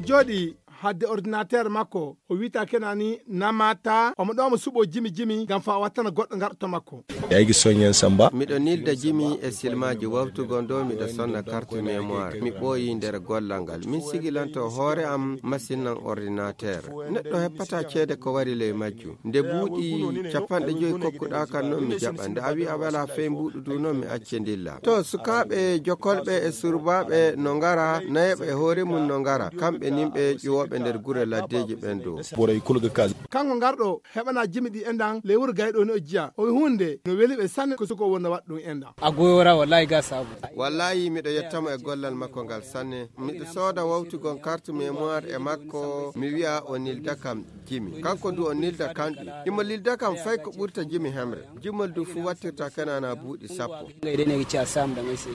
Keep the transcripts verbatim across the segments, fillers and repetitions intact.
Jooɗi hadde ordinateur makko, o wiita kena ni namata, omo ɗo mo suɓo jimi jimi, ngam fa o wattana goɗɗo ngarɗo to makko. Eyyi, Soñen Samba. Miɗo nilda jimi e silmaaji wawtugon ɗo miɗo sonna carte mémoire. Mi ɓooyi nder gollal ngal. Min sigilanto hoore am masinan ordinateur. Neɗɗo heppata ceede ko wari ley majjum. Nde buuɗi capanɗe joyi kokkuɗaa kan non mi jaɓa. Nde a wi a wala fey mbuuɗu du non mi acce ndilla. To sukaaɓe jokolɓe e surbaaɓe no ngara, nayeɓe e hoore mum no ngara. Kamɓe nimɓe ƴuwooɓe nder gure laddeeji ɓen dow. Boray kulga kas. Kanko ngarɗo heɓana jimi ɗi enɗan ley wuro gayɗo ni o jiya. O wi hunde no weli ɓe sanne ko suko wonno waɗa ɗum enɗan. A goyora wallahi ga sabu. Wallahi miɗo yettamo e gollal makko ngal sanne. Miɗo sooda wawtugon carte mémoire e makko, mi wi'a o nilda kam jimi. Kanko du o nilda kam ɗi. Imo lilda kam fay ko ɓurta jimi hemre. Jimol du fu wattirta kenana buuɗi sappo.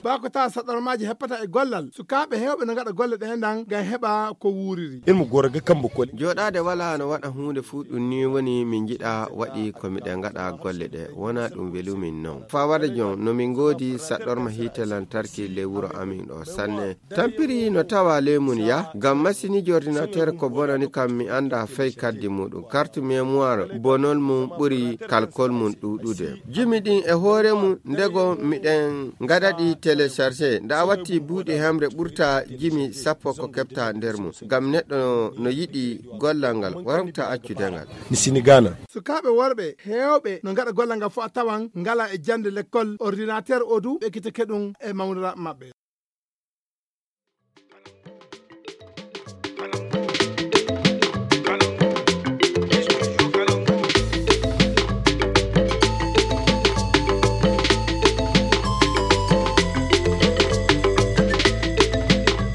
Ba ko tawa saɗormaaji heppata e gollal. Sukaaɓe heewɓe no ngaɗa golle ɗe enɗan ngam heɓa ko wuuriri. Ilmu goro ga kambo koli. Jooɗaade wala no waɗa huunde fu ɗum ni woni min njiɗa waɗi ko miɗen ngaɗa golle ɗe. Wona ɗum welumin non. Fawade jon no min ngoodi saɗorma hiite lantarki ley wuro amin ɗo sanne. Tampiri no tawa ley mum ya, ngam masiniiji ordinateur ko bonani kam mi annda fey kaddi muɗum. Carte mémoire bonol mum ɓuri kalkol mum ɗuuɗude. Jimi ɗin e hoore mum ndego miɗen ngaɗa ɗi téléchargé. Nda a watti buuɗi hemre ɓurta jimi sappo ko keɓta nder mum. Ngam neɗɗo no yiɗi gollal ngal, waramta accude ngal. Mi sini Gana. Sukaaɓe worɓe heewɓe no ngaɗa gollal ngal fof a tawan ngala e jannde lekkol, ordinateur o du ɓe ekkitake ɗum e mawniraaɓe maɓɓe.